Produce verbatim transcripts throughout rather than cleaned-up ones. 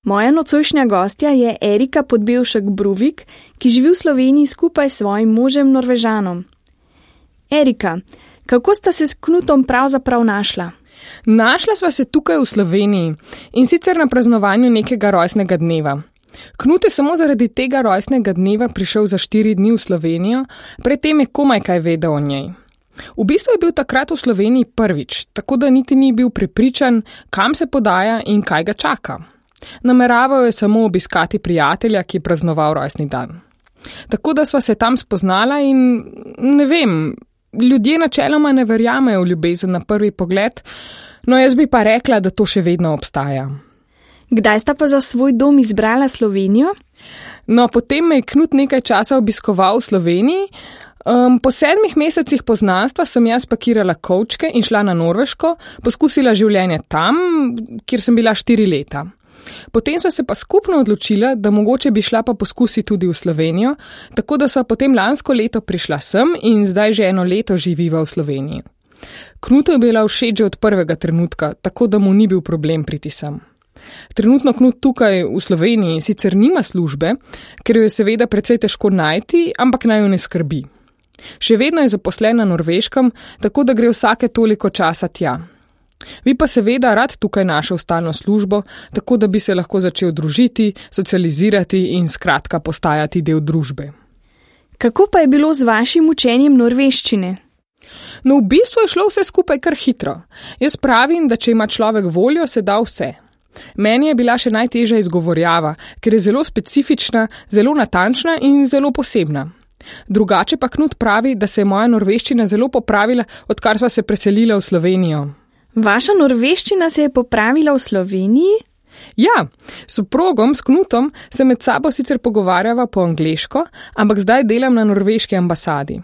Moja nocojšnja gostja je Erika Podbevšek-Bruvik, ki živi v Sloveniji skupaj s svojim možem Norvežanom. Erika, kako sta se s Knutom pravzaprav našla? Našla sva se tukaj v Sloveniji in sicer na praznovanju nekega rojstnega dneva. Knut je samo zaradi tega rojstnega dneva prišel za štiri dni v Slovenijo, predtem je komaj kaj vedel o njej. V bistvu je bil takrat v Sloveniji prvič, tako da niti ni bil prepričan, kam se podaja in kaj ga čaka. Nameraval je samo obiskati prijatelja, ki je praznoval rojstni dan. Tako da sva se tam spoznala in ne vem, ljudje načeloma ne verjamejo v ljubezen na prvi pogled, no jaz bi pa rekla, da to še vedno obstaja. Kdaj sta pa za svoj dom izbrala Slovenijo? No, potem me je Knut nekaj časa obiskoval v Sloveniji. Um, po sedmih mesecih poznanstva sem jaz pakirala kovčke in šla na Norveško, poskusila življenje tam, kjer sem bila štiri leta. Potem sva se pa skupno odločila, da mogoče bi šla pa poskusiti tudi v Slovenijo, tako da sva potem lansko leto prišla sem in zdaj že eno leto živiva v Sloveniji. Knutu je bila všeč že od prvega trenutka, tako da mu ni bil problem priti sem. Trenutno Knut tukaj v Sloveniji sicer nima službe, ker jo je seveda precej težko najti, ampak naj jo ne skrbi. Še vedno je zaposlen na Norveškem, tako da gre vsake toliko časa tja. Bi pa seveda rad tukaj našel stalno službo, tako da bi se lahko začel družiti, socializirati in skratka postajati del družbe. Kako pa je bilo z vašim učenjem norveščine? No, v bistvu je šlo vse skupaj kar hitro. Jaz pravim, da če ima človek voljo, se da vse. Meni je bila še najtežja izgovorjava, ker je zelo specifična, zelo natančna in zelo posebna. Drugače pa Knut pravi, da se je moja norveščina zelo popravila, odkar sva se preselila v Slovenijo. Vaša norveščina se je popravila v Sloveniji? Ja, s soprogom, s Knutom, se med sabo sicer pogovarjava po angleško, ampak zdaj delam na norveški ambasadi.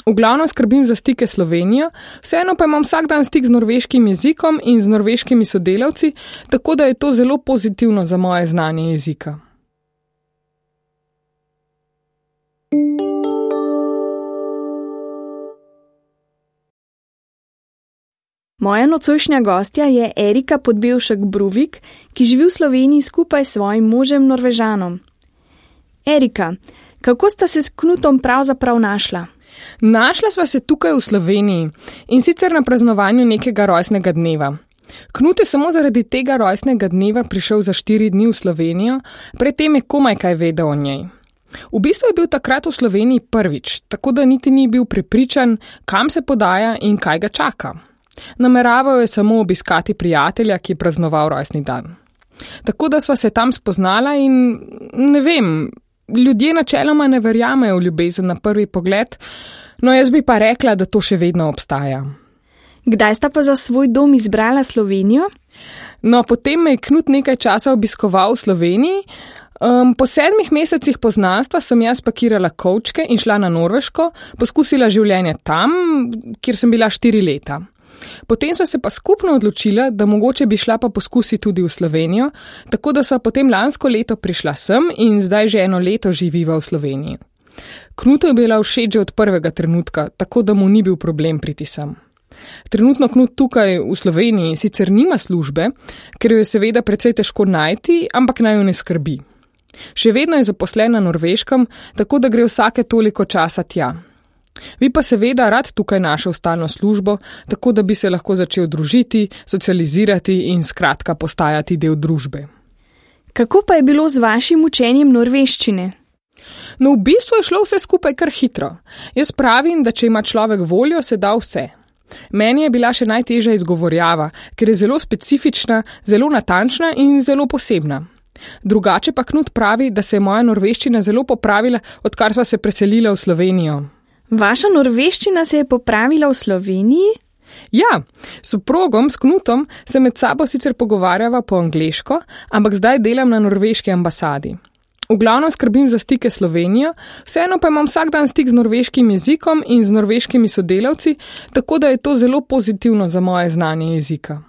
V glavnem skrbim za stike s Slovenijo, vseeno pa imam vsak dan stik z norveškim jezikom in z norveškimi sodelavci, tako da je to zelo pozitivno za moje znanje jezika. Moja nocojšnja gostja je Erika Podbevšek-Bruvik, ki živi v Sloveniji skupaj s svojim možem Norvežanom. Erika, kako sta se s Knutom pravzaprav našla? Našla sva se tukaj v Sloveniji in sicer na praznovanju nekega rojstnega dneva. Knut je samo zaradi tega rojstnega dneva prišel za štiri dni v Slovenijo, predtem je komaj kaj vedel o njej. V bistvu je bil takrat v Sloveniji prvič, tako da niti ni bil prepričan, kam se podaja in kaj ga čaka. Nameraval je samo obiskati prijatelja, ki je praznoval rojstni dan. Tako da sva se tam spoznala in ne vem, ljudje načeloma ne verjamejo v ljubezen na prvi pogled, no jaz bi pa rekla, da to še vedno obstaja. Kdaj sta pa za svoj dom izbrala Slovenijo? No, potem me je Knut nekaj časa obiskoval v Sloveniji. Um, po sedmih mesecih poznanstva sem jaz pakirala kovčke in šla na Norveško, poskusila življenje tam, kjer sem bila štiri leta. Potem sva se pa skupno odločila, da mogoče bi šla pa poskusiti tudi v Slovenijo, tako da sva potem lansko leto prišla sem in zdaj že eno leto živiva v Sloveniji. Knutu je bila všeč že od prvega trenutka, tako da mu ni bil problem priti sem. Trenutno Knut tukaj v Sloveniji sicer nima službe, ker jo je seveda precej težko najti, ampak naj jo ne skrbi. Še vedno je zaposlen na Norveškem, tako da gre vsake toliko časa tja. Bi pa seveda rad tukaj našel stalno službo, tako da bi se lahko začel družiti, socializirati in skratka postajati del družbe. Kako pa je bilo z vašim učenjem norveščine? No, v bistvu je šlo vse skupaj kar hitro. Jaz pravim, da če ima človek voljo, se da vse. Meni je bila še najtežja izgovorjava, ker je zelo specifična, zelo natančna in zelo posebna. Drugače pa Knut pravi, da se je moja norveščina zelo popravila, odkar sva se preselila v Slovenijo. Vaša norveščina se je popravila v Sloveniji? Ja, s soprogom, s Knutom, se med sabo sicer pogovarjava po angleško, ampak zdaj delam na norveški ambasadi. V glavnem skrbim za stike s Slovenijo, vseeno pa imam vsak dan stik z norveškim jezikom in z norveškimi sodelavci, tako da je to zelo pozitivno za moje znanje jezika.